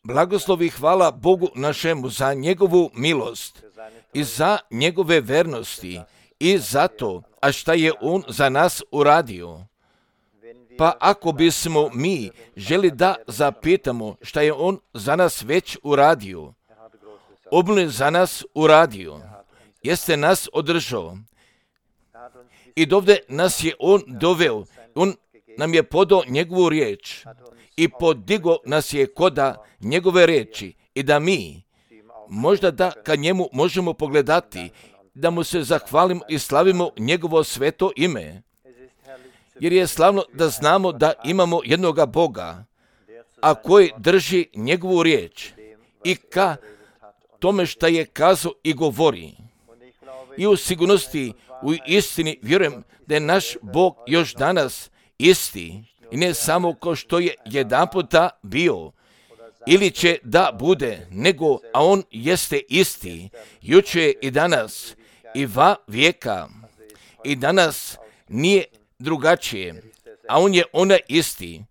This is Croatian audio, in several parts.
Blagoslovi hvala Bogu našemu za njegovu milost i za njegove vernosti i za to, a šta je on za nas uradio. Pa ako bismo mi želi da zapitamo šta je on za nas već uradio, on je za nas uradio, jeste nas održao i dovde nas je on doveo, on nam je podao njegovu riječ i podigo nas je koda njegove riječi i da mi možda da ka njemu možemo pogledati, da mu se zahvalimo i slavimo njegovo sveto ime. Jer je slavno da znamo da imamo jednoga Boga, a koji drži njegovu riječ i ka tome šta je kazao i govori. I u sigurnosti, u istini vjerujem da je naš Bog još danas isti i ne samo kao što je jedanputa bio ili će da bude, nego a on jeste isti, jučer i danas i va vijeka i danas nije drugačije, a on je onaj isti,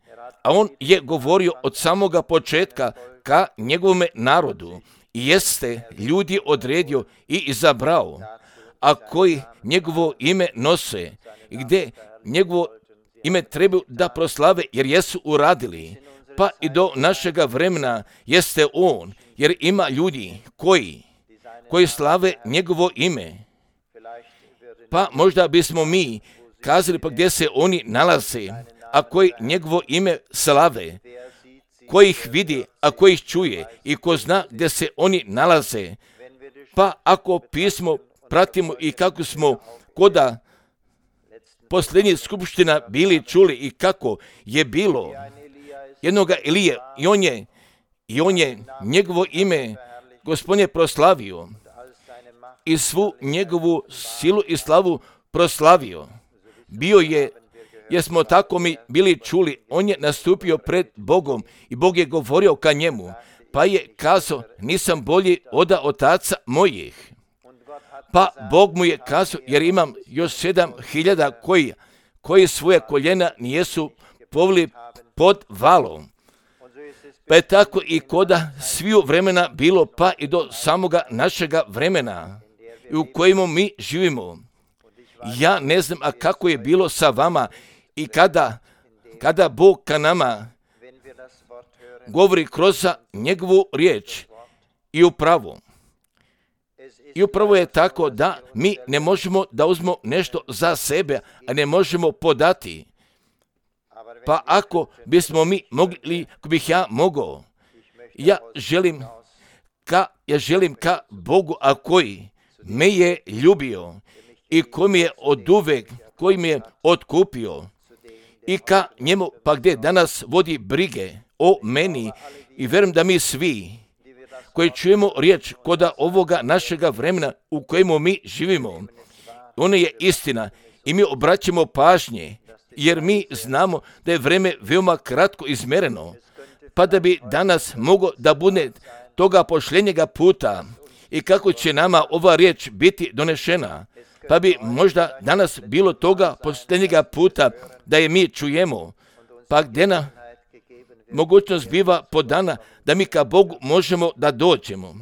a on je govorio od samoga početka ka njegovome narodu i jeste ljudi odredio i izabrao, a koji njegovo ime nose i gdje njegovo ime trebaju da proslave jer jesu uradili, pa i do našega vremena jeste on, jer ima ljudi koji slave njegovo ime. Pa možda bismo mi kazali pa gdje se oni nalaze, a koji njegovo ime slave, koji ih vidi, a koji ih čuje i ko zna gdje se oni nalaze. Pa ako pismo pratimo i kako smo koda posljednjih skupština bili čuli i kako je bilo jednoga Elije i on je njegovo ime Gospodin je proslavio i svu njegovu silu i slavu proslavio. Bio je, jer smo tako mi bili čuli, on je nastupio pred Bogom i Bog je govorio ka njemu, pa je kazao, nisam bolji od otaca mojih. Pa Bog mu je kazao, jer imam još 7.000 koji svoje koljena nijesu povili pod valom. Pa je tako i koda sviju vremena bilo, pa i do samoga našega vremena i u kojemu mi živimo. Ja ne znam, a kako je bilo sa vama i kada Bog ka nama govori kroz njegovu riječ i upravo. I upravo je tako da mi ne možemo da uzmemo nešto za sebe, a ne možemo podati. Pa ako bismo mi mogli, ako bih ja mogao, ja želim ka Bogu, a koji me je ljubio i koji mi je oduvek, koji mi je otkupio i ka njemu, pa gdje danas vodi brige o meni i vjerujem da mi svi koji čujemo riječ koda ovoga našega vremena u kojemu mi živimo, ona je istina i mi obraćamo pažnje, jer mi znamo da je vreme veoma kratko izmereno, pa da bi danas moglo da bude toga pošljenjega puta i kako će nama ova riječ biti donešena, pa bi možda danas bilo toga pošljenjega puta da je mi čujemo, pa gdje nam mogućnost biva podana da mi ka Bogu možemo da dođemo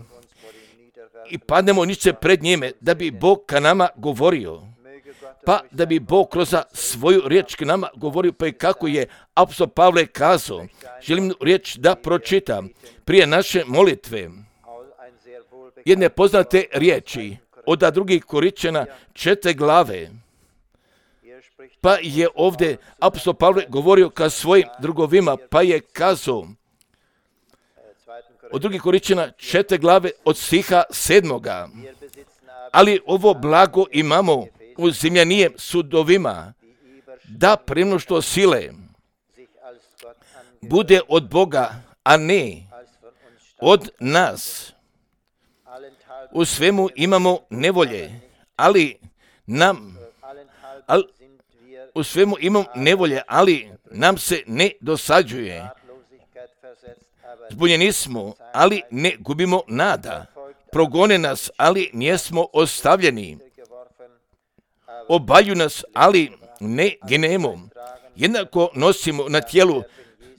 i padnemo niče pred njime, da bi Bog ka nama govorio, pa da bi Bog kroz svoju riječ ka nama govorio, pa i kako je apostol Pavle kazao. Želim riječ da pročitam prije naše molitve. Jedne poznate riječi od 2. Korinćana 4. glave. Pa je ovdje apostol Pavle govorio ka svojim drugovima, pa je kazao od 2. Korinćana 4. glave od stiha 7. Ali ovo blago imamo u zemljanijem sudovima, da premnoštvo sile bude od Boga, a ne od nas. U svemu imamo nevolje, ali nam se ne dosađuje. Zbunjeni smo, ali ne gubimo nada. Progone nas, ali nijesmo ostavljeni. Obalju nas, ali ne ginemo. Jednako nosimo na tijelu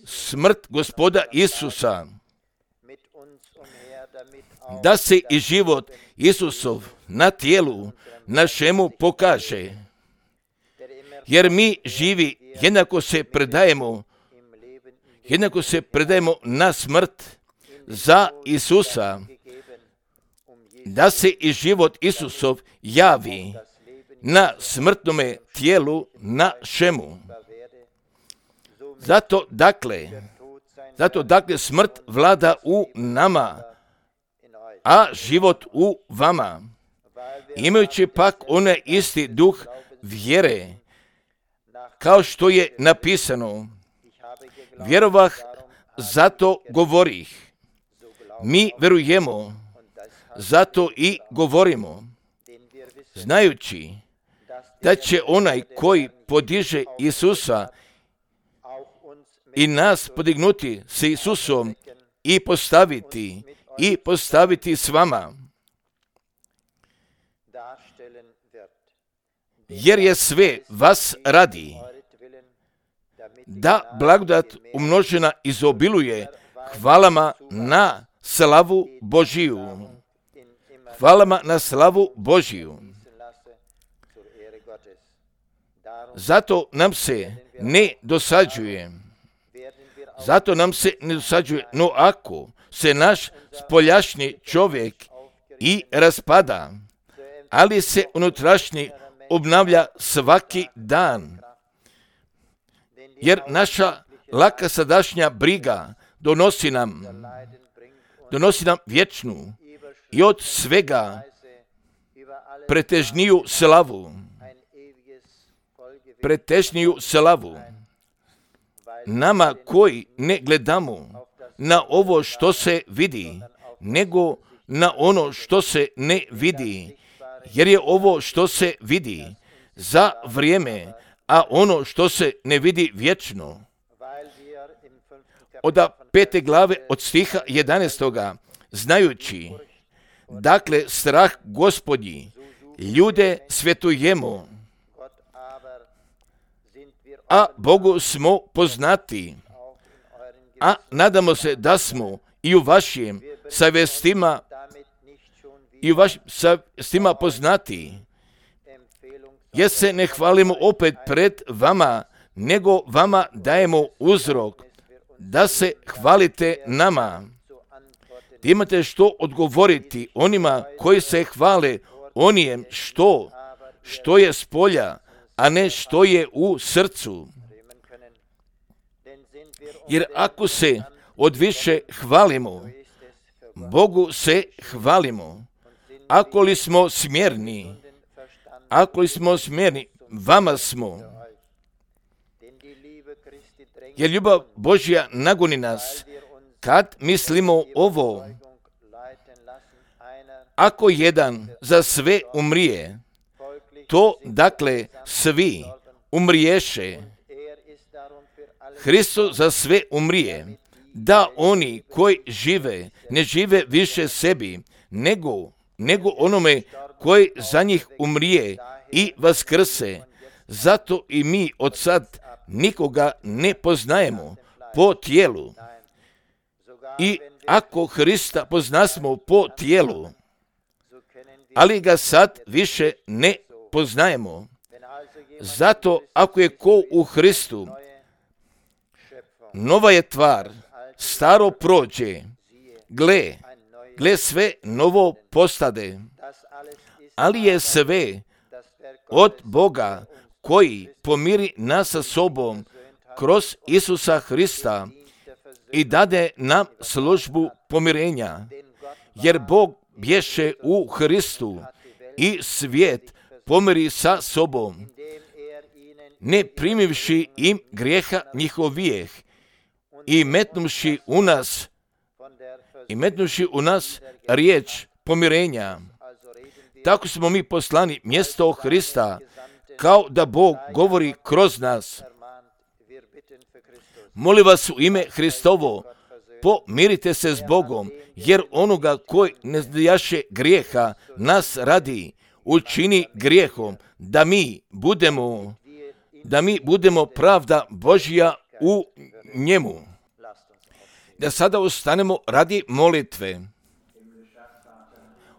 smrt Gospoda Isusa, da se i život Isusov na tijelu našemu pokaže. Jer mi živi jednako se predajemo na smrt za Isusa, da se i život Isusov javi na smrtnome tijelu našemu. Zato dakle smrt vlada u nama, a život u vama. Imajući pak onaj isti duh vjere, kao što je napisano, vjerovah, zato govorih. Mi verujemo, zato i govorimo, znajući da će onaj koji podiže Isusa i nas podignuti s Isusom i postaviti s vama. Jer je sve vas radi, da blagodat umnožena izobiluje hvalama na slavu Božiju. Hvalama na slavu Božiju. Zato nam se ne dosađuje. No ako se naš spoljašnji čovjek i raspada, ali se unutrašnji obnavlja svaki dan. Jer naša laka sadašnja briga donosi nam vječnu i od svega pretežniju slavu. Nama koji ne gledamo na ovo što se vidi, nego na ono što se ne vidi, jer je ovo što se vidi za vrijeme, a ono što se ne vidi vječno. Od 5. glave od stiha 11. znajući, dakle strah Gospodnji, ljude svjetujemo, a Bogu smo poznati, a nadamo se da smo i u vašim savjestima poznati, jer se ne hvalimo opet pred vama, nego vama dajemo uzrok da se hvalite nama. Da imate što odgovoriti onima koji se hvale onijem što je s polja, a ne što je u srcu. Jer ako se od više hvalimo, Bogu se hvalimo. Ako li smo smjerni, vama smo. Jer ljubav Božja nagoni nas, kad mislimo ovo. Ako jedan za sve umrije, to dakle svi umriješe. Hristos za sve umrije, da oni koji žive, ne žive više sebi, nego onome koji za njih umrije i vaskrse. Zato i mi od sad nikoga ne poznajemo po tijelu. I ako Hrista poznasmo po tijelu, ali ga sad više ne poznajemo. Zato ako je ko u Hristu, nova je tvar, staro prođe, gle sve novo postade, ali je sve od Boga koji pomiri nas sa sobom kroz Isusa Hrista i dade nam službu pomirenja, jer Bog bješe u Hristu i svijet pomiri sa sobom, ne primivši im grijeha njihovijeh i metnuši u nas riječ pomirenja. Tako smo mi poslani mjesto Hrista, kao da Bog govori kroz nas. Molim vas u ime Hristovo, pomirite se s Bogom, jer onoga koji ne znajaše grijeha nas radi, učini grijehom, da mi budemo pravda Božja u njemu. da sada ustanemo radi molitve.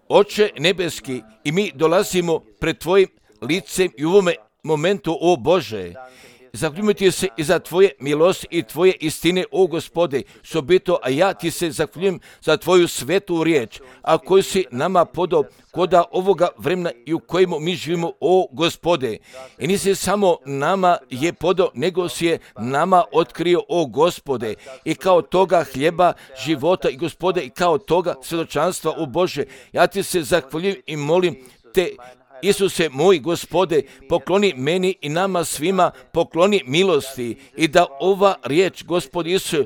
Oče nebeski, i mi dolazimo pred Tvojim licem i u ovome momentu, o Bože, zahvaljujemo Ti se i za Tvoje milosti i Tvoje istine, o Gospode, sobito, a ja Ti se zahvaljujem za Tvoju svetu riječ, a koju si nama podao koda ovoga vremena i u kojemu mi živimo, o Gospode. I nisi samo nama je podao, nego si je nama otkrio, o Gospode, i kao toga hljeba života, i Gospode, i kao toga svjedočanstva, o Bože. Ja Ti se zahvaljujem i molim Te, Isuse moj Gospode, pokloni meni i nama svima, pokloni milosti i da ova riječ, Gospod Isus,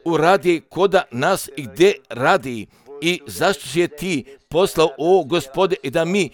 uradi koda nas i gdje radi i zašto si je Ti poslao, o Gospode, i da mi,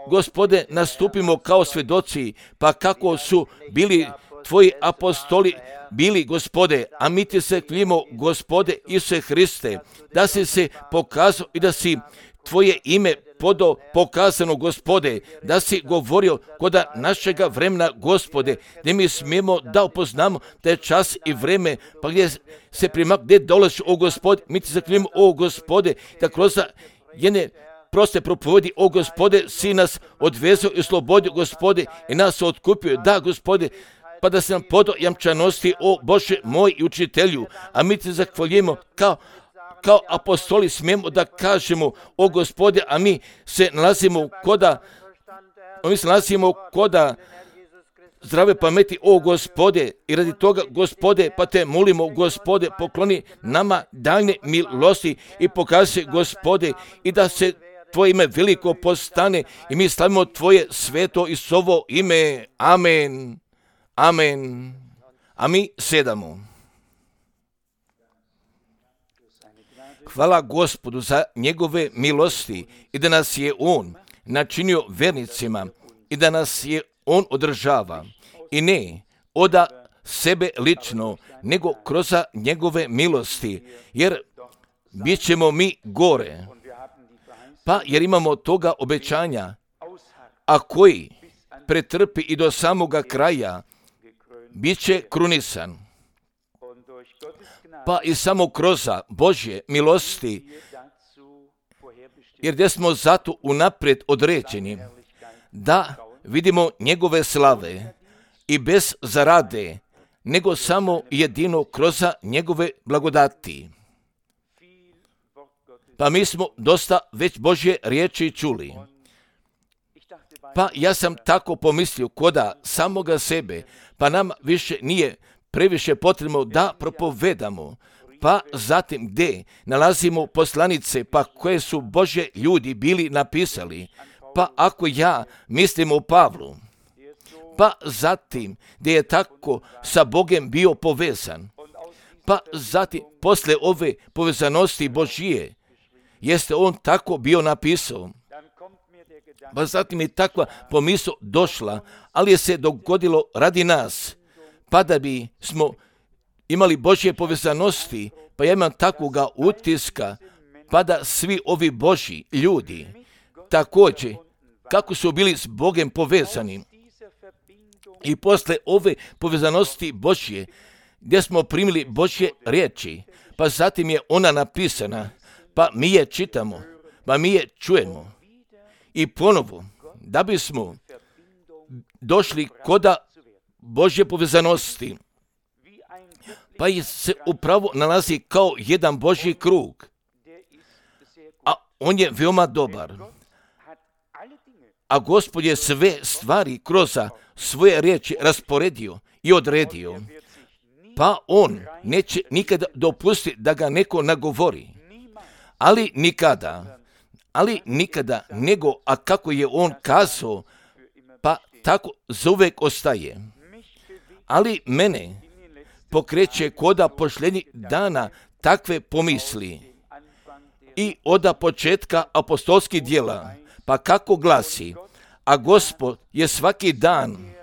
Gospode, nastupimo kao svjedoci, pa kako su bili Tvoji apostoli bili, Gospode, a mi Ti se hvalimo, Gospode Isuse Hriste, da si se pokazao i da si Tvoje ime podao pokazano, Gospode, da si govorio koda našega vremena, Gospode, gdje mi smijemo da upoznamo da je čas i vreme, pa gdje se gdje dolaziš, o Gospode, mi Ti zahvaljujemo, o Gospode, da kroz jedne proste propovedi, o Gospode, si nas odvezao i oslobodio, Gospode, i nas otkupio, da, Gospode, pa da se nam podao jamčanosti, o Bože moj i učitelju, a mi Ti zahvaljujemo kao apostoli smijemo da kažemo, o Gospode, a mi se nalazimo koda zdrave pameti, o Gospode, i radi toga, Gospode, pa Te molimo, Gospode, pokloni nama daljne milosti i pokaži se, Gospode, i da se Tvoje ime veliko postane i mi slavimo Tvoje sveto i sovo ime. Amen. Amen. A mi sedamo. Hvala Gospodu za njegove milosti i da nas je On načinio vernicima i da nas je On održava. I ne od sebe lično, nego kroz njegove milosti, jer bit ćemo mi gore. Pa jer imamo toga obećanja, a koji pretrpi i do samoga kraja, bit će krunisan. Pa i samo kroz Božje milosti, jer gdje smo zato unaprijed određeni, da vidimo njegove slave i bez zarade, nego samo jedino kroz njegove blagodati. Pa mi smo dosta već Božje riječi čuli. Pa ja sam tako pomislio koda samoga sebe, pa nam više nije previše potrebno da propovedamo, pa zatim gdje nalazimo poslanice, pa koje su Božje ljudi bili napisali, pa ako ja mislim o Pavlu, pa zatim gdje je tako sa Bogem bio povezan, pa zatim posle ove povezanosti Božije, jeste on tako bio napisao. Pa zatim je takva pomisao došla, ali je se dogodilo radi nas, pa da bi smo imali Božje povezanosti, pa ja imam takvoga utiska, pa da svi ovi Božji ljudi također, kako su bili s Bogem povezani, i posle ove povezanosti Božje, gdje smo primili Božje riječi, pa zatim je ona napisana, pa mi je čitamo, pa mi je čujemo. I ponovo, da bismo došli koda Božje povezanosti, pa se upravo nalazi kao jedan Božji krug, a on je veoma dobar. A Gospod je sve stvari kroz svoje riječi rasporedio i odredio, pa on neće nikada dopustiti da ga neko nagovori, ali nikada nego, a kako je on kazao, pa tako zauvek ostaje. Ali mene pokreće koda posljednjih dana takve pomisli i od početka apostolskih djela, pa kako glasi, a Gospod je svaki dan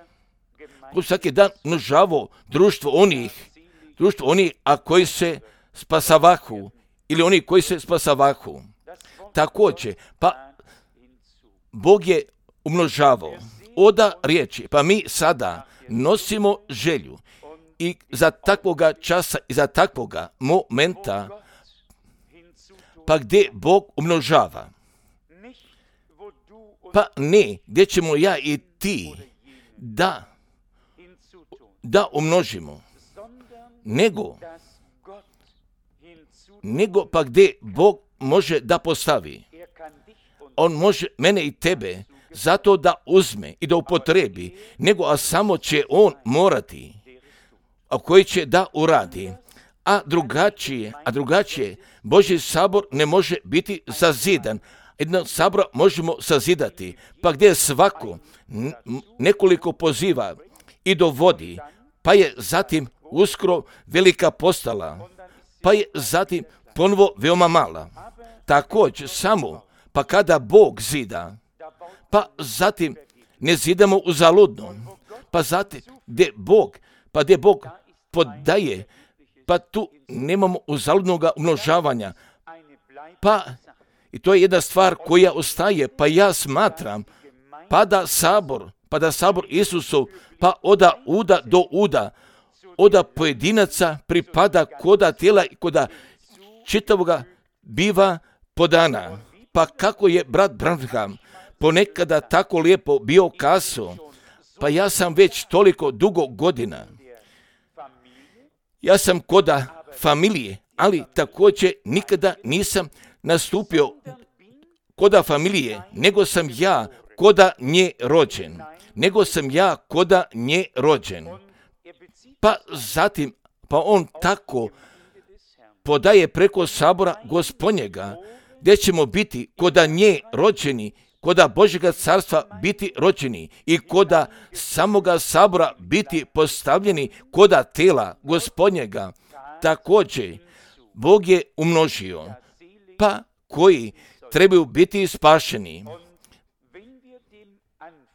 nužavao društvo onih, a koji se spasavahu, ili oni koji se spasavahu. Također, pa Bog je umnožavao oda riječi, pa mi sada nosimo želju I za takvoga časa i za takvoga momenta, pa gdje Bog umnožava. Pa ne, gdje ćemo ja i ti da umnožimo, nego pa gdje Bog može da postavi. On može mene i tebe zato da uzme i da upotrebi, a samo će on morati, a koji će da uradi. A drugačije, Božji sabor ne može biti sazidan. Jednog sabora možemo sazidati, pa gdje svako nekoliko poziva i dovodi, pa je zatim uskoro velika postala, pa je zatim ponovo veoma mala. Također samo, pa kada Bog zida, pa zatim ne zidamo uzaludno, pa zatim gdje Bog podaje, pa tu nemamo uzaludnoga umnožavanja. Pa i to je jedna stvar koja ostaje, pa ja smatram, pa da sabor Isusov, pa oda uda do uda, oda pojedinaca pripada koda tijela i koda čitavoga biva podana. Pa kako je brat Branham ponekada tako lijepo bio kazao, pa ja sam već toliko dugo godina, ja sam koda familije, ali također nikada nisam nastupio koda familije, nego sam ja koda nje rođen. Pa zatim, pa on tako podaje preko sabora Gospodnjega, gdje ćemo biti koda nje rođeni, koda Božjega carstva biti rođeni i koda samoga sabora biti postavljeni koda tela Gospodnjega. Također, Bog je umnožio, pa koji trebaju biti spašeni.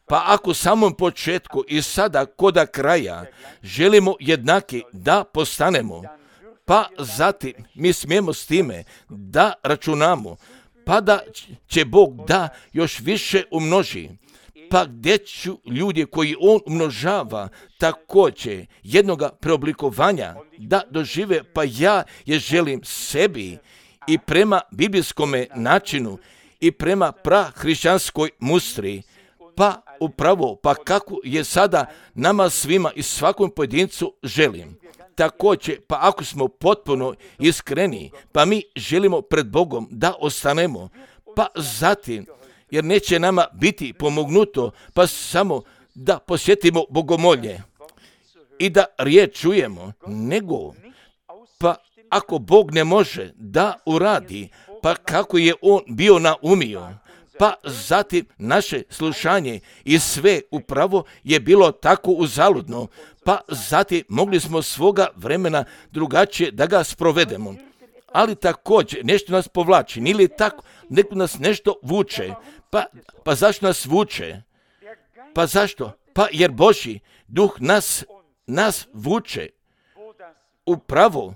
Pa ako samom početku i sada koda kraja želimo jednaki da postanemo, pa zatim mi smijemo s time da računamo, pa da će Bog da još više umnoži. Pa gdje ću ljudi koji on umnožava također jednoga preoblikovanja da dožive, pa ja je želim sebi i prema biblijskome načinu i prema prahrišćanskoj mustri, pa upravo, pa kako je sada nama svima i svakom pojedincu želim. Također, pa ako smo potpuno iskreni, pa mi želimo pred Bogom da ostanemo, pa zatim, jer neće nama biti pomognuto, pa samo da posjetimo bogomolje i da riječ čujemo, nego, pa ako Bog ne može da uradi, pa kako je on bio naumio, pa zatim naše slušanje i sve upravo je bilo tako uzaludno, pa zatim mogli smo svoga vremena drugačije da ga sprovedemo. Ali također nešto nas povlači, ili tako, neko nas nešto vuče. Pa zašto nas vuče? Pa zašto? Pa jer Božji duh nas vuče upravo,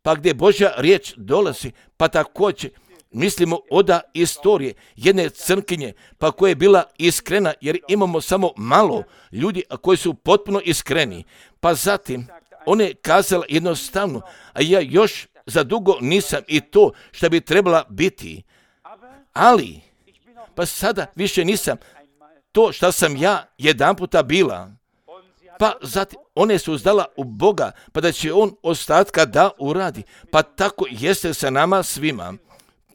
pa gdje Božja riječ dolazi, pa također mislimo oda istorije jedne crnkinje, pa koja je bila iskrena, jer imamo samo malo ljudi koji su potpuno iskreni. Pa zatim, ona je kazala jednostavno, a ja još za dugo nisam i to što bi trebala biti. Ali, pa sada više nisam to što sam ja jedan puta bila. Pa zatim, one su uzdala u Boga, pa da će on ostatka da uradi. Pa tako jeste sa nama svima.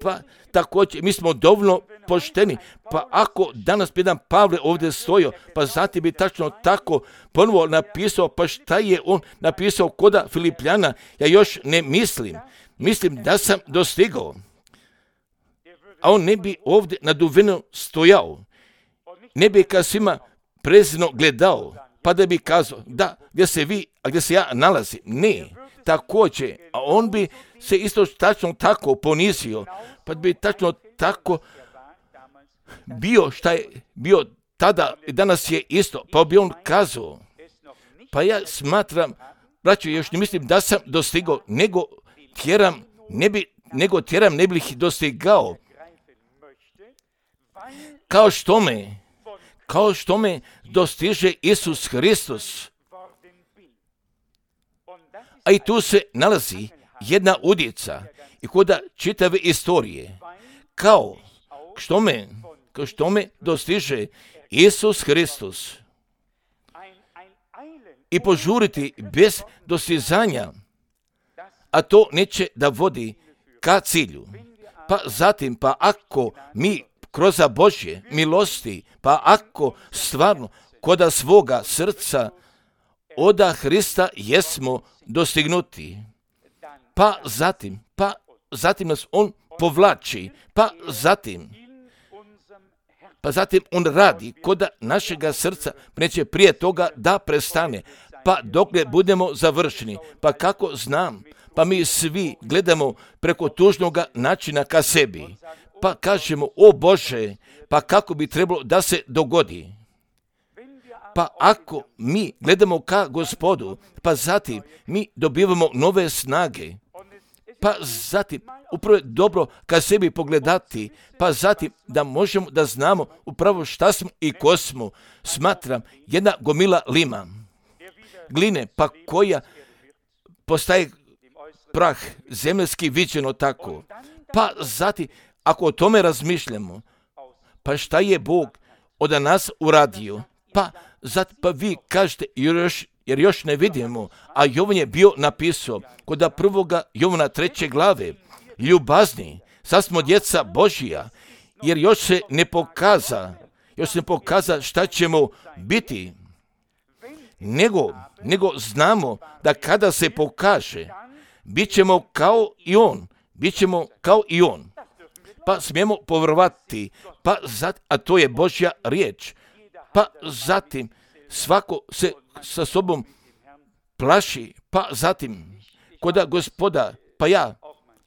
Pa također, mi smo dovoljno pošteni, pa ako danas bi jedan Pavle ovdje stojio, pa zatim bi tačno tako ponovo napisao, pa šta je on napisao koda Filipljana, ja još ne mislim da sam dostigao. A on ne bi ovdje naduveno stojao, ne bi ka svima prezirno gledao, pa da bi kazao, da, gdje se vi, a gdje se ja nalazim, ne. Također, a on bi se isto tačno tako ponizio, pa bi tačno tako bio šta je bio tada i danas je isto, pa bi on kazao, pa ja smatram, braćo, još ne mislim da sam dostigao, nego tjeram ne bih dostigao, kao što me dostiže Isus Hristos. A i tu se nalazi jedna udjeca i koda čitave istorije, kao što me dostiže Isus Hristos i požuriti bez dostizanja, a to neće da vodi ka cilju. Pa zatim, pa ako mi kroz Božje milosti, pa ako stvarno koda svoga srca oda Hrista jesmo dostignuti, pa zatim nas on povlači, pa zatim on radi koda našega srca neće prije toga da prestane, pa dokle budemo završeni. Pa kako znam? Pa mi svi gledamo preko tužnoga načina ka sebi, pa kažemo, o Bože, pa kako bi trebalo da se dogodi. Pa ako mi gledamo ka Gospodu, pa zatim mi dobivamo nove snage, pa zatim upravo je dobro ka sebi pogledati, pa zatim da možemo da znamo upravo šta smo i ko smo. Smatram, jedna gomila lima, gline, pa koja postaje prah, zemljski viđeno tako. Pa zatim, ako o tome razmišljamo, pa šta je Bog od nas uradio? Pa vi kažete, jer još ne vidimo, a Jovan je bio napisao kod 1. Jovana 3. glave, ljubazni, sad smo djeca Božija, jer još se ne pokaza šta ćemo biti, nego znamo da kada se pokaže, bit ćemo kao i on, pa smijemo povjerovati, a to je Božja riječ, pa zatim svako se sa sobom plaši, pa zatim koda Gospoda, pa ja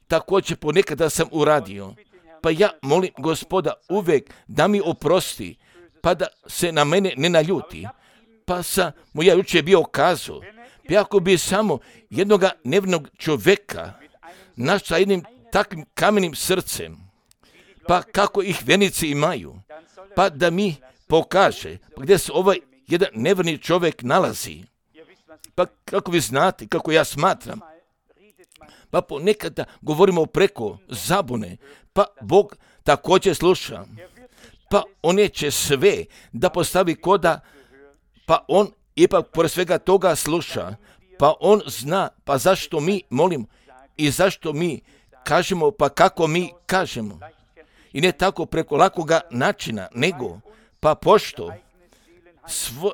također ponekada sam uradio, pa ja molim Gospoda uvijek da mi oprosti, pa da se na mene ne naljuti, pa ja jučer bio kazao, pa ako bi samo jednoga nevinog čovjeka naš sa jednim takvim kamenim srcem, pa kako ih vjernici imaju, pa da mi pokaže gdje se ovaj jedan nevjerni čovjek nalazi. Pa kako vi znate, kako ja smatram, pa ponekada govorimo preko zabune, pa Bog također sluša, pa on neće sve da postavi koda, pa on ipak pored svega toga sluša, pa on zna, pa zašto mi molimo i zašto mi kažemo, pa kako mi kažemo. I ne tako preko lakoga načina, nego pa pošto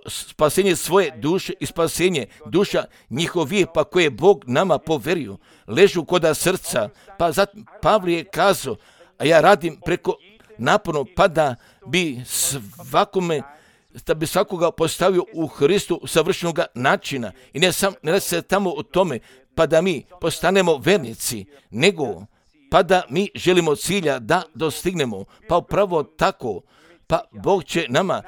spasenje svoje duše i spasenje duša njihovih, pa koje Bog nama poverio, ležu koda srca, pa zatim Pavle je kazao, a ja radim preko naporno, pa da bi svakoga postavio u Hristu savršenog načina. I ne radi se tamo o tome, pa da mi postanemo vernici, nego pa da mi želimo cilja da dostignemo, pa upravo tako, pa Bog će nama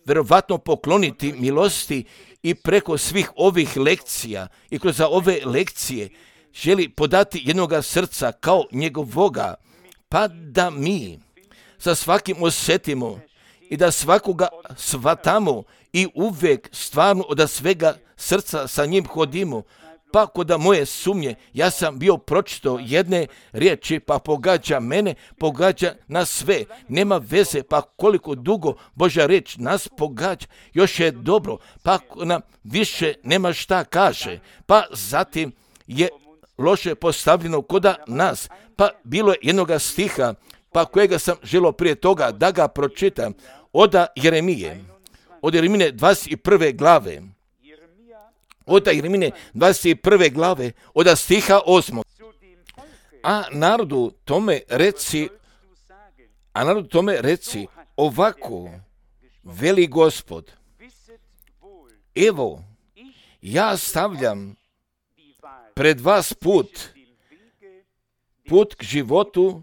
verovatno pokloniti milosti i preko svih ovih lekcija i kroz ove lekcije želi podati jednoga srca kao njegovoga, pa da mi sa svakim osjetimo i da svakoga shvatamo i uvijek stvarno od svega srca sa njim hodimo. Pa koda moje sumnje, ja sam bio pročitao jedne riječi, pa pogađa mene, pogađa nas sve. Nema veze, pa koliko dugo Božja riječ nas pogađa, još je dobro, pa nam više nema šta kaže. Pa zatim je loše postavljeno koda nas, pa bilo je jednoga stiha, pa kojega sam želio prije toga da ga pročitam, od Jeremije 21. glave. Od Jeremije 21. glave, od stiha 8. A narodu tome reci, ovako veli Gospod, evo, ja stavljam pred vas put k životu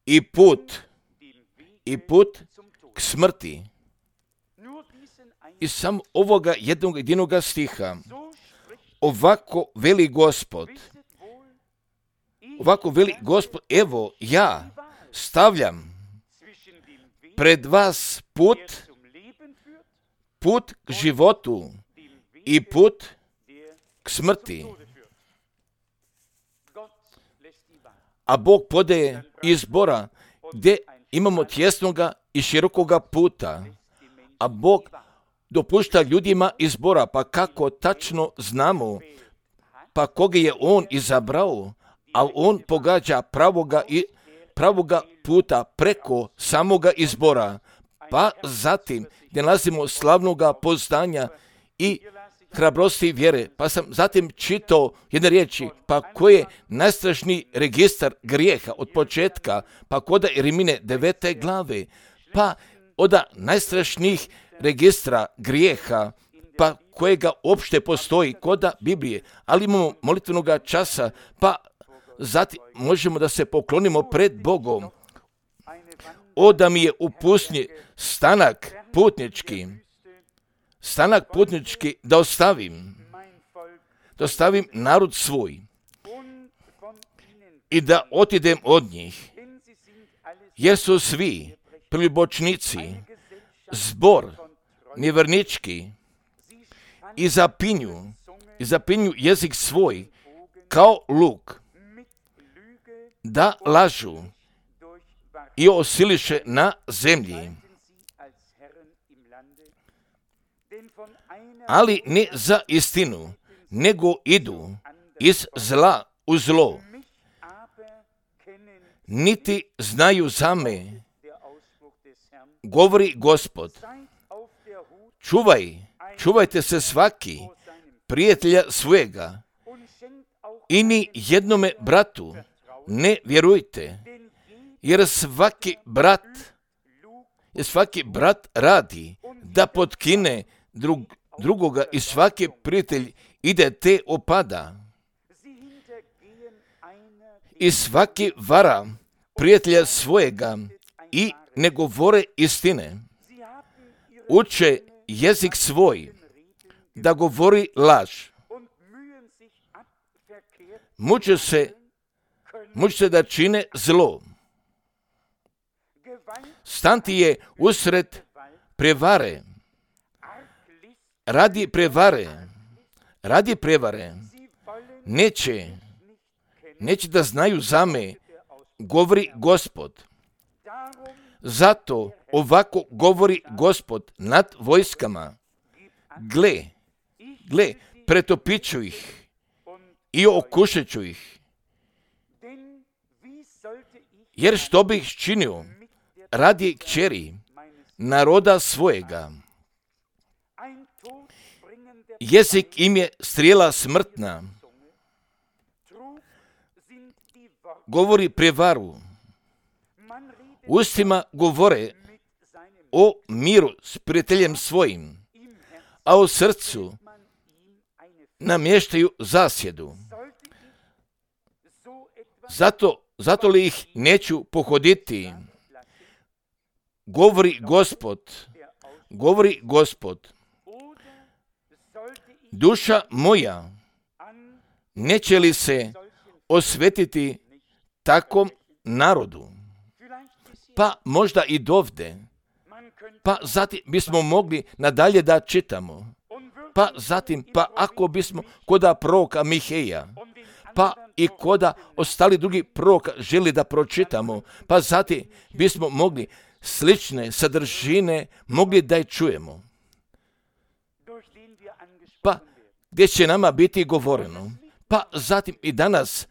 i put k smrti. I sam ovoga jednog stiha, ovako veli Gospod, evo ja stavljam pred vas put k životu i put k smrti. A Bog podaje izbora gdje imamo tjesnoga i širokoga puta. A Bog dopušta ljudima izbora, pa kako tačno znamo, pa koga je On izabrao, a On pogađa pravoga puta preko samoga izbora. Pa zatim gdje nalazimo slavnoga poznanja i hrabrosti vjere. Pa sam zatim čitao jedne riječi, pa koji je najstrašniji registar grijeha od početka, pa koda Rimine 9. glave, pa od najstrašnijih registra grijeha, pa kojega uopšte postoji koda Biblije, ali imamo molitvenog časa, pa zatim možemo da se poklonimo pred Bogom. Da mi je u pustinji stanak putnički da ostavim narod svoj i da otidem od njih, jer su svi preljubočnici, zbor nevjernički i zapinju jezik svoj kao luk, da lažu i osiliše na zemlji. Ali ne za istinu, nego idu iz zla u zlo. Niti znaju za me, govori Gospod. Čuvajte se svaki prijatelja svojega i ni jednome bratu ne vjerujte, jer svaki brat radi da potkine drugoga i svaki prijatelj ide te opada. I svaki vara prijatelja svojega i ne govore istine. Uče jezik svoj da govori laž. Muče se da čine zlo. Stanti je usred prevare. Radi prevare. Neće da znaju za me, govori Gospod. Zato ovako govori Gospod nad vojskama. Gle, pretopit ću ih i okušat ću ih. Jer što bih činio radi kćeri naroda svojega? Jezik im je strijela smrtna. Govori prevaru. Ustima govore o miru s prijateljem svojim, a u srcu namještaju zasjedu. Zato li ih neću pohoditi? Govori Gospod. Duša moja, neće li se osvetiti takvom narodu? Pa možda i dovde. Pa zatim bismo mogli nadalje da čitamo. Pa zatim, ako bismo koda proroka Miheja, pa i koda ostali drugi proroka želi da pročitamo, pa zatim bismo mogli slične sadržine mogli da je čujemo. Pa gdje će nama biti govoreno. Pa zatim i danas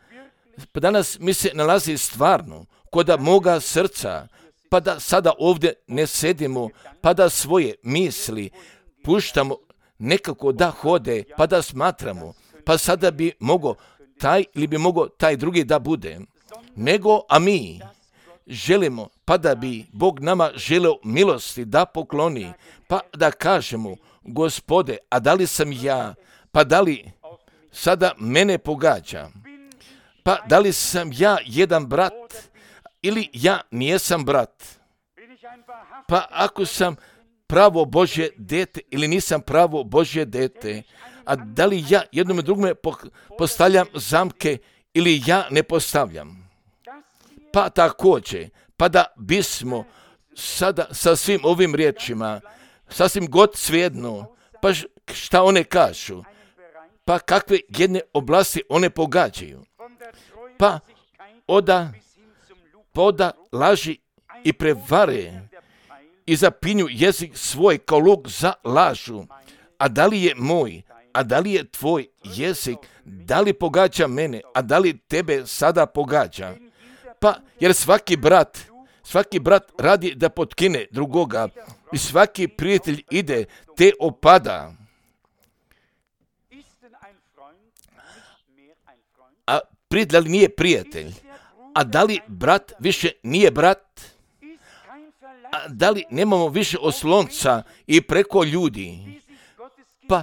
mi se nalazi stvarno koda moga srca, pa da sada ovdje ne sedimo, pa da svoje misli puštamo nekako da hode, pa da smatramo, pa sada bi mogao taj drugi da bude. A mi želimo, pa da bi Bog nama želeo milosti da pokloni, pa da kažemo, Gospode, a da li sam ja, pa da li sada mene pogađa, pa da li sam ja jedan brat ili ja nijesam brat, pa ako sam pravo Božje dete ili nisam pravo Božje dete, a da li ja jednome drugome postavljam zamke ili ja ne postavljam. Pa također, pa da bismo sada sa svim ovim riječima, sasvim god svejedno, pa šta one kažu, pa kakve jedne oblasti one pogađaju. pa oda laži i prevare i zapinju jezik svoj kao luk za lažu. A da li je moj, a da li je tvoj jezik, da li pogađa mene, a da li tebe sada pogađa? Pa, jer svaki brat radi da potkine drugoga i svaki prijatelj ide te opada. A prijatelj nije prijatelj. A da li brat više nije brat? A da li nemamo više oslonca i preko ljudi? Pa,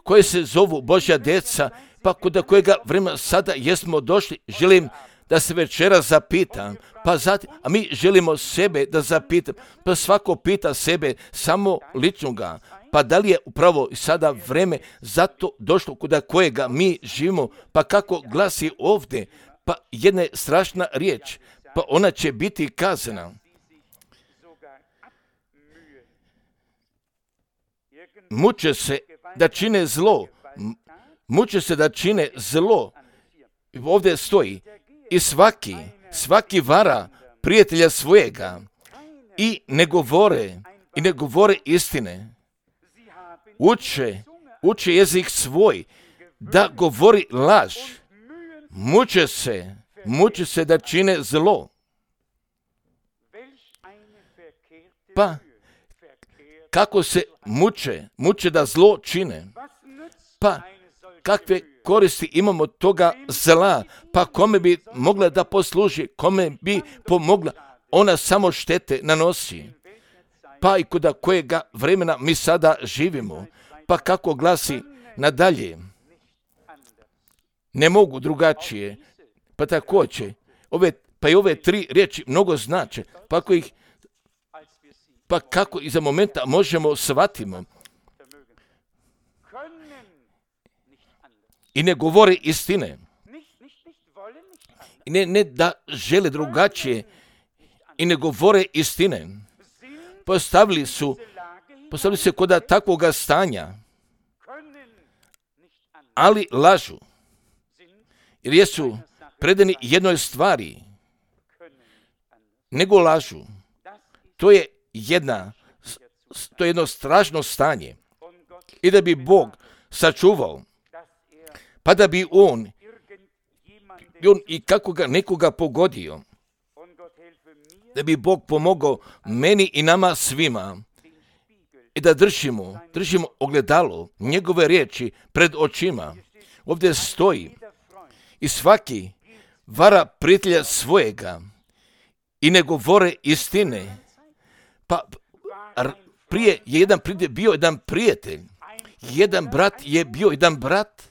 koje se zovu Božja djeca, pa kod kojega vremena sada jesmo došli, želim da se večeras zapitam, pa zatim, a mi želimo sebe da zapitam, pa svako pita sebe samo ličnoga, pa da li je upravo sada vreme zato došlo kod kojega mi živimo, pa kako glasi ovdje, pa jedna je strašna riječ, pa ona će biti kazana. Muče se da čine zlo. Muče se da čine zlo. Ovdje stoji. I svaki vara prijatelja svojega i ne govore istine. Uče jezik svoj da govori laž. Muče se da čine zlo. Pa, kako se muče da zlo čine? Pa, kakve koristi imamo od toga zla? Pa kome bi mogla da posluži? Kome bi pomogla? Ona samo štete nanosi. Pa i kod kojega vremena mi sada živimo? Pa kako glasi nadalje? Ne mogu drugačije. Pa također, ove tri riječi mnogo znače. Pa kako i za momenta možemo shvatimo. I ne govore istine. I ne da žele drugačije. I ne govore istine. Postavili se kod takvoga stanja. Ali lažu. Jer jesu predani jednoj stvari. Nego lažu. To je jedno strašno stanje. I da bi Bog sačuvao, pa da bi on i kako ga nekoga pogodio, da bi Bog pomogao meni i nama svima i da držimo ogledalo njegove riječi pred očima. Ovdje stoji i svaki vara prijatelja svojega i ne govore istine. Pa prije je bio jedan prijatelj, jedan brat je bio jedan brat,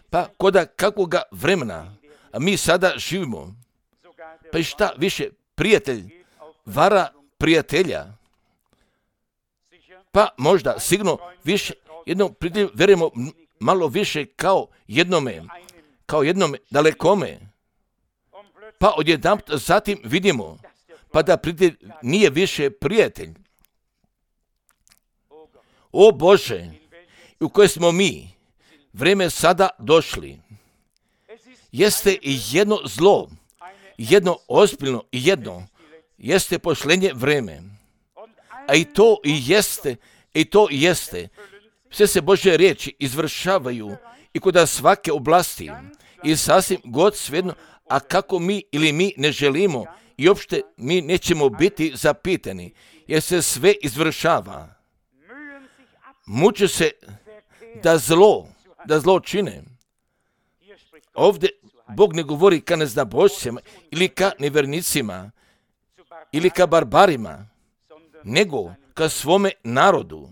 pa kod kakvoga vremena, a mi sada živimo, pa i šta više prijatelj vara prijatelja, pa možda sigurno više jednom prijatelju verujemo malo više kao jednome dalekome, pa odjedanput zatim vidimo pa da prijatelj nije više prijatelj. O Bože, u koje smo mi vreme sada došli. Jeste i jedno zlo, jedno ozbiljno i jedno jeste pošlenje vreme. A i to jeste. Sve se Božje riječi izvršavaju i kod svake oblasti i sasvim god svejedno, a kako mi ili mi ne želimo i uopšte mi nećemo biti zapitani, jer se sve izvršava. Muče se da zlo čine. Ovdje Bog ne govori ka neznabošcima ili ka nevernicima ili ka barbarima, nego ka svome narodu.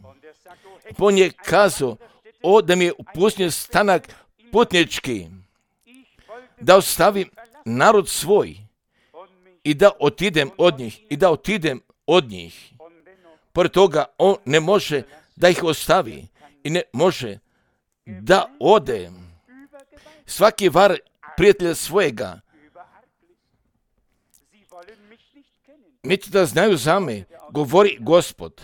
On je kazao, da mi je upustio stanak putnički, da ostavim narod svoj i da otidem od njih. Pored toga, on ne može da ih ostavi i ne može da ode. Svaki var prijatelja svojega neće da znaju za me, govori Gospod.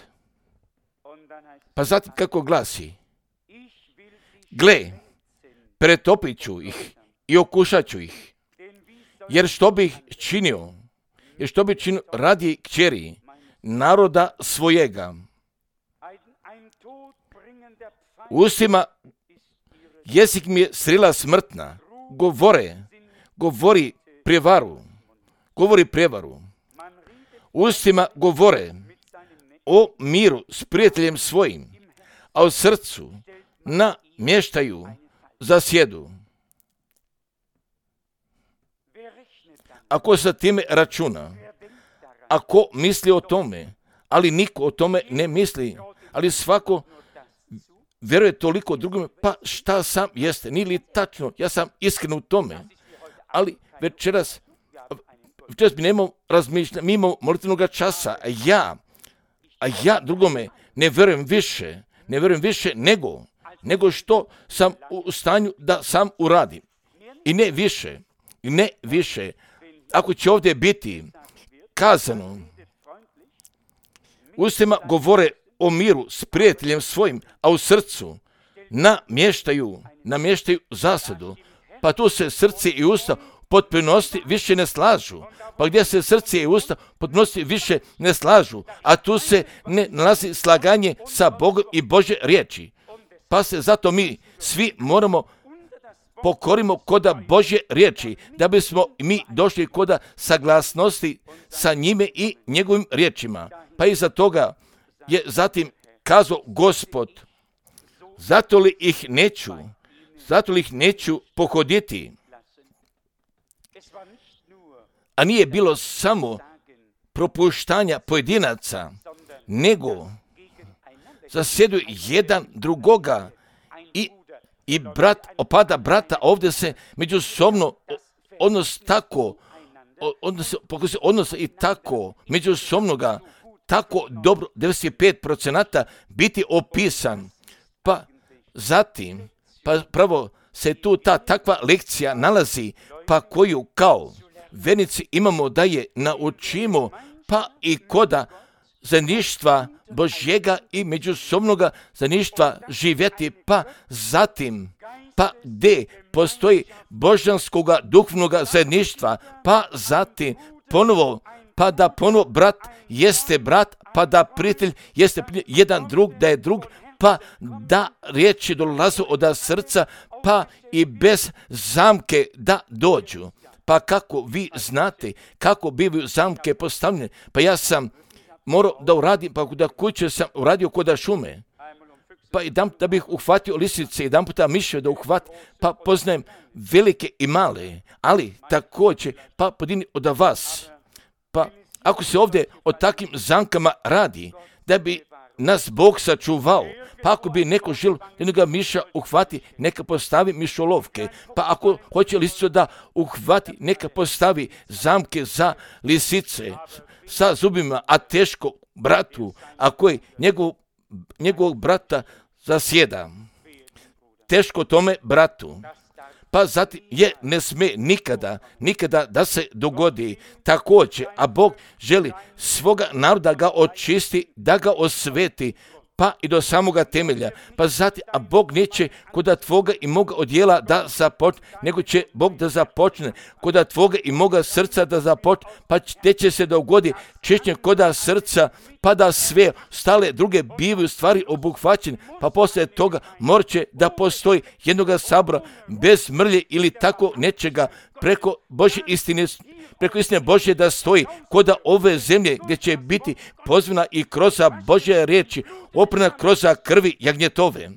Pa zatim kako glasi? Gle, pretopit ću ih i okušat ću ih. Jer što bih činio radi kćeri naroda svojega. Ustima jezik mi je strela smrtna, govori prevaru. Ustima govore o miru s prijateljem svojim, a u srcu namještaju zasjedu. Ako sa time računa, ako misli o tome, ali niko o tome ne misli, ali svako vjeruje toliko drugome, pa šta sam jeste, nije li tačno, ja sam iskren u tome, ali večeras mi nemamo razmišljanja, mi imamo molitvenog časa, a ja drugome ne vjerujem više nego što sam u stanju da sam uradim. I ne više. Ako će ovdje biti kazano, ustima govore o miru s prijateljem svojim, a u srcu namještaju zasadu, pa tu se srce i usta potpunosti više ne slažu. Pa gdje se srce i usta potpunosti više ne slažu, a tu se ne nalazi slaganje sa Bogom i Božje riječi. Pa se zato mi svi moramo pokorimo koda Božje riječi, da bismo mi došli koda saglasnosti sa njime i njegovim riječima. Pa iza toga je zatim kazao Gospod, zato li ih neću pohoditi. A nije bilo samo propuštanja pojedinaca, nego zasjeduju jedan drugoga i brat opada brata. Ovdje se međusobno odnos i tako međusobnoga tako dobro 95% biti opisan. Pa zatim, pravo se tu ta takva lekcija nalazi, pa koju kao vernici imamo da je naučimo, pa i koda zajedništva Božjega i međusobnoga zajedništva živjeti, pa zatim, pa gdje postoji božanskoga duhovnoga zajedništva, pa zatim ponovo, pa da ponovo brat jeste brat, pa da prijatelj jeste prijatelj, jedan drug da je drug, pa da riječi dolaze od srca, pa i bez zamke da dođu. Pa kako vi znate kako bivaju zamke postavljene? Pa ja sam morao da uradim, pa da kuće sam uradio koda šume. Pa da bih uhvatio lisice, jedan puta mišio da uhvatim, pa poznajem velike i male, ali također pa podini od vas. Pa ako se ovdje o takvim zamkama radi, da bi nas Bog sačuvao, pa ako bi neko želio jednoga miša uhvati, neka postavi mišolovke, pa ako hoće lisicu da uhvati, neka postavi zamke za lisice sa zubima, a teško bratu, a koji njegovog brata zasjeda. Teško tome bratu. Pa zatim ne sme nikada da se dogodi također, a Bog želi svoga naroda ga očisti, da ga osveti, pa i do samoga temelja. Pa zatim, a Bog neće koda tvoga i moga odjela da započne, nego će Bog da započne koda tvoga i moga srca da započne, pa te će se dogodi čišćenje koda srca, pa da sve stale druge bivaju stvari obuhvaćene, pa poslije toga morat će da postoji jednoga sabora bez mrlje ili tako nečega preko Božje istine, preko istine Božje da stoji koda ove zemlje gdje će biti pozvana i kroz Božje riječi, oprana kroz krvi jagnjetove.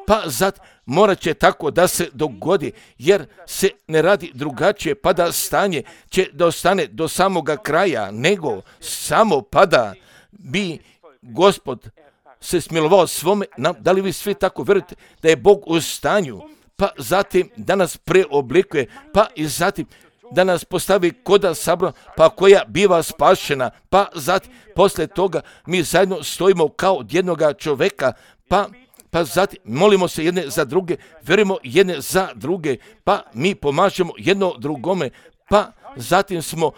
Pa zat morat će tako da se dogodi, jer se ne radi drugačije, pa da stanje će da ostane do samoga kraja, nego samo pa da bi Gospod se smilovao svome. Da li vi svi tako vjerujete da je Bog u stanju, pa zatim da nas preoblikuje, pa i zatim da nas postavi koda sabora, pa koja biva spašena, pa zatim poslije toga mi zajedno stojimo kao od jednoga čovjeka, pa zatim molimo se jedne za druge, vjerujemo jedne za druge, pa mi pomažemo jedno drugome, pa zatim smo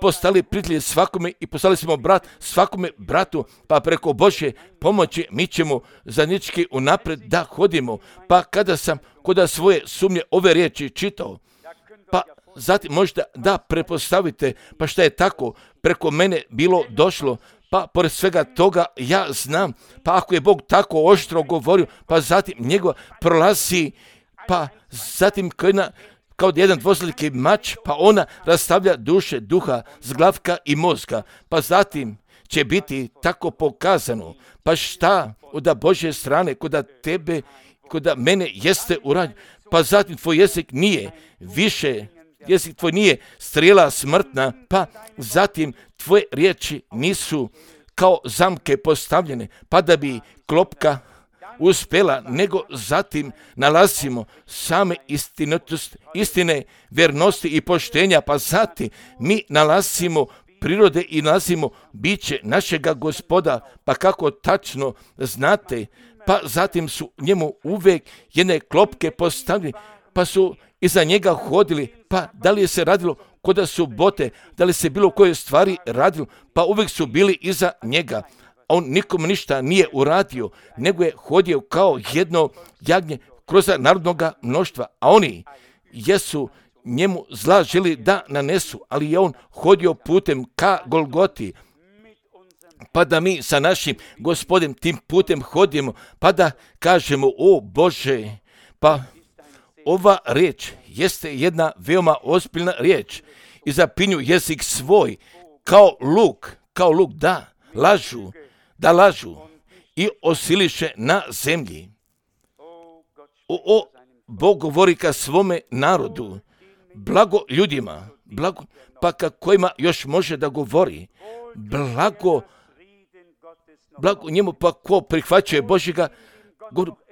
postali prijatelji svakome i postali smo brat svakome bratu, pa preko Božje pomoći mi ćemo zajednički unaprijed da hodimo. Pa kada sam kod svoje sumnje ove riječi čitao, pa zatim možda da prepostavite, pa šta je tako preko mene bilo došlo, pa pored svega toga ja znam, pa ako je Bog tako oštro govorio, pa zatim njegova prolazi, pa zatim kao jedan dvosliki mač, pa ona rastavlja duše, duha, zglavka i mozga, pa zatim će biti tako pokazano, pa šta od Božje strane, kod tebe, kod mene jeste urađeno, pa zatim tvoj jezik nije više, jezik tvoj nije strijela smrtna, pa zatim tvoje riječi nisu kao zamke postavljene, pa da bi klopka uspjela, nego zatim nalazimo same istine, vjernosti i poštenja, pa zatim mi nalazimo prirode i nalazimo biće našega Gospoda, pa kako tačno znate, pa zatim su njemu uvijek jedne klopke postavljene, pa su iza njega hodili, pa da li je se radilo kod subote, da li se bilo koje stvari radilo, pa uvijek su bili iza njega. On nikom ništa nije uradio, nego je hodio kao jedno jagnje kroz narodnog mnoštva, a oni jesu njemu zla želi da nanesu, ali je on hodio putem ka Golgoti, pa da mi sa našim Gospodem tim putem hodimo, pa da kažemo, o Bože, pa ova riječ jeste jedna veoma ozbiljna riječ i zapinju jezik svoj kao luk, da lažu i osiliše na zemlji. Bog govori ka svome narodu, blago ljudima, blago, pa ka kojima još može da govori, blago njemu, pa ko prihvaćuje Božjega,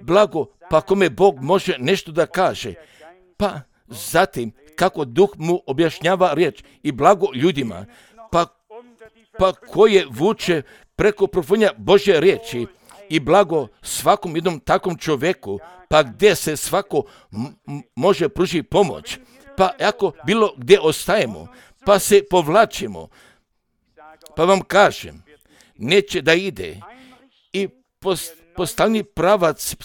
blago, pa kome Bog može nešto da kaže, pa zatim kako Duh mu objašnjava riječ i blago ljudima, pa koje vuče preko profunja Božje riječi i blago svakom jednom takvom čovjeku, pa gdje se svako može pružiti pomoć, pa ako bilo gdje ostajemo, pa se povlačimo, pa vam kažem, neće da ide i postavni pravac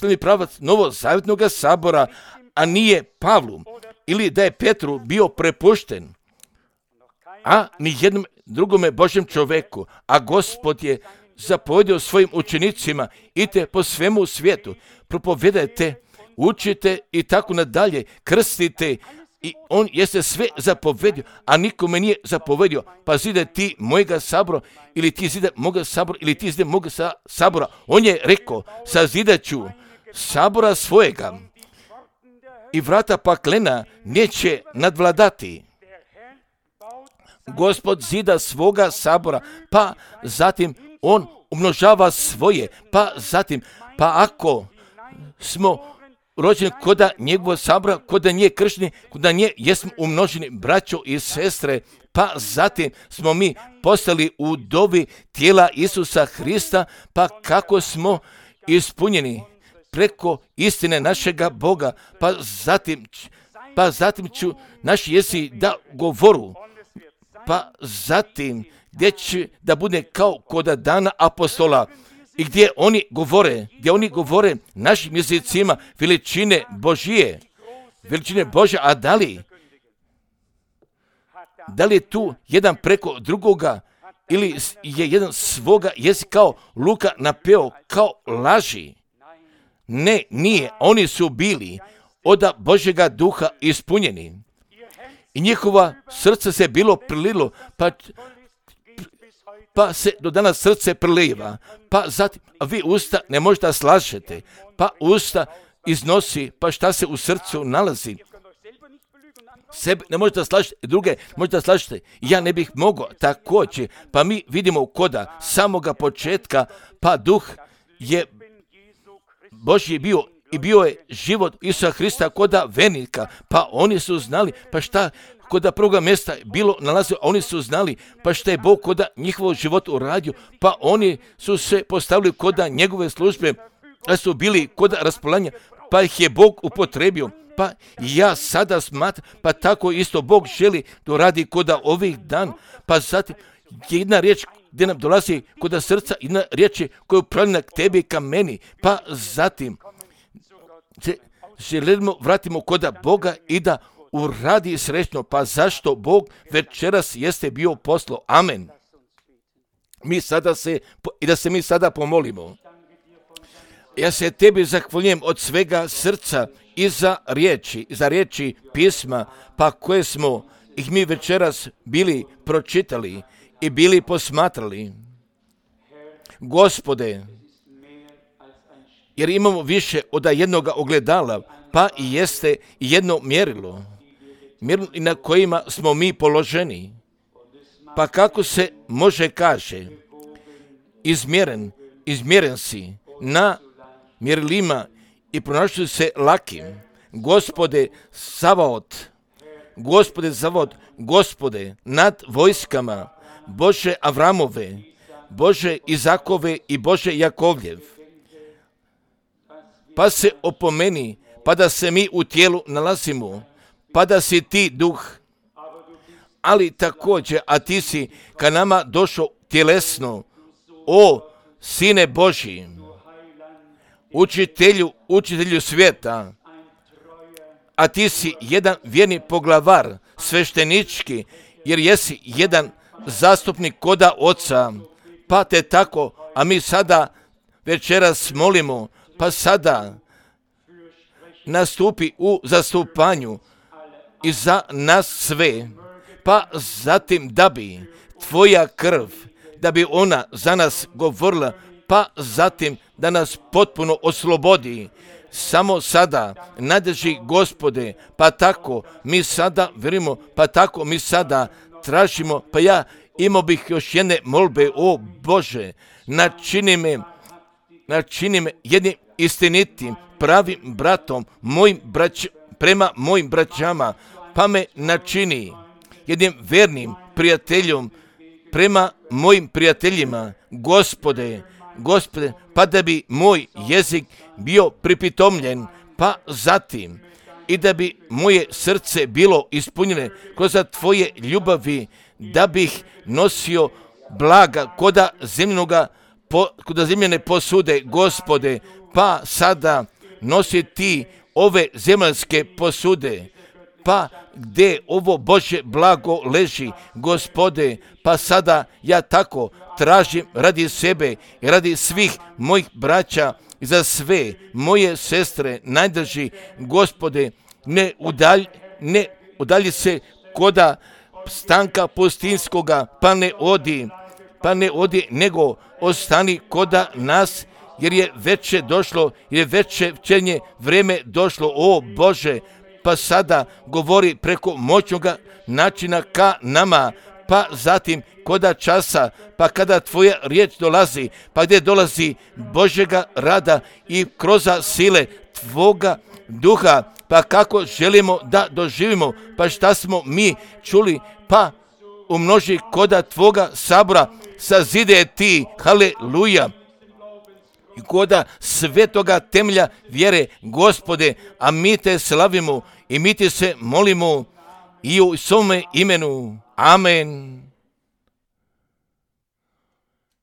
Novozavjetnog sabora, a nije Pavlu, ili da je Petru bio prepušten, a ni jednom drugome Božjem čovjeku, a Gospod je zapovjedio svojim učenicima, idite po svemu svijetu, propovedajte, učite i tako nadalje, krstite, i on jeste sve zapovedio, a nikome nije zapovedio, pa zide ti mojega sabora, ili ti zide moga sabora, ili ti zide moga sabora. On je rekao, sazidaću sabora svojega i vrata paklena neće nadvladati. Gospod zida svoga sabora, pa zatim on umnožava svoje, pa zatim, pa ako smo rođeni koda njegovog sabora, koda nije kršteni, koda nije jesmo umnoženi braćo i sestre, pa zatim smo mi postali u dobi tijela Isusa Hrista, pa kako smo ispunjeni preko istine našega Boga, pa zatim ću naši jesi da govoru, pa zatim gdje će da bude kao kod dana apostola i gdje oni govore našim jezicima veličine Božije, a da li je tu jedan preko drugoga ili je jedan svoga jezika kao Luka napeo kao laži? Ne, nije, oni su bili od Božjega duha ispunjeni i njihova srce se bilo prililo, pa se do danas srce priliva, pa zatim, a vi usta ne možete da slažete, pa usta iznosi, pa šta se u srcu nalazi. Sebe ne možete da slažete, druge možete da slažete. Ja ne bih mogao također, pa mi vidimo koda samoga početka, pa duh je Božji bio i bio je život Isusa Hrista koda venika, pa oni su znali, pa šta koda prvoga mjesta bilo nalazio, oni su znali, pa šta je Bog koda njihovog života uradio, pa oni su se postavili koda njegove službe, a su bili koda raspolanja, pa ih je Bog upotrebio. Pa ja sada smatram, pa tako isto Bog želi to radi koda ovih dan. Pa zatim jedna riječ gdje nam dolazi koda srca, jedna riječ je koja je upravljena k tebi i ka meni. Pa zatim se želimo vratimo koda Boga i da uradi srećno. Pa zašto Bog večeras jeste bio poslo? Amen. Da se mi sada pomolimo. Ja se tebi zahvaljujem od svega srca i za riječi pisma, pa koje smo ih mi večeras bili pročitali i bili posmatrali. Gospode, jer imamo više od jednoga ogledala, pa i jeste jedno mjerilo na kojima smo mi položeni. Pa kako se može kaže, izmjeren si na mjerilima i pronašli se lakim. Gospode Savaot, Gospode nad vojskama, Bože Avramove, Bože Izakove i Bože Jakovljev. Pa se opomeni, pa da se mi u tijelu nalazimo, pa da si ti duh, ali također, a ti si ka nama došao tjelesno, o Sine Božji, učitelju svijeta, a ti si jedan vjerni poglavar, sveštenički, jer jesi jedan zastupnik koda Oca, pa te tako, a mi sada večeras molimo, pa sada nastupi u zastupanju i za nas sve, pa zatim da bi tvoja krv, da bi ona za nas govorila, pa zatim da nas potpuno oslobodi. Samo sada nadrži Gospode, pa tako mi sada verimo, pa tako mi sada tražimo, pa ja imao bih još jedne molbe, o Bože, načini me jednim istinitim, pravim bratom, prema mojim braćama, pa me načini jednim vernim prijateljom prema mojim prijateljima, Gospode, pa da bi moj jezik bio pripitomljen, pa zatim i da bi moje srce bilo ispunjeno kroz tvoje ljubavi, da bih nosio blaga koda zemljene posude, Gospode, pa sada nosi ti ove zemaljske posude, pa gdje ovo Božje blago leži, Gospode, pa sada ja tako tražim radi sebe i radi svih mojih braća i za sve moje sestre najdrži, Gospode, ne udalji se koda stanka pustinskoga, pa ne odi, nego ostani koda nas, jer je veće večernje vrijeme došlo, o Bože, pa sada govori preko moćnoga načina ka nama, pa zatim koda časa, pa kada tvoja riječ dolazi, pa gdje dolazi Božjega rada i kroz sile tvoga duha, pa kako želimo da doživimo, pa šta smo mi čuli, pa umnoži koda tvoga sabora, sazide ti, haleluja, i koda svetoga temelja vjere, Gospode, a mi te slavimo i mi ti se molimo i u svome imenu. Amen.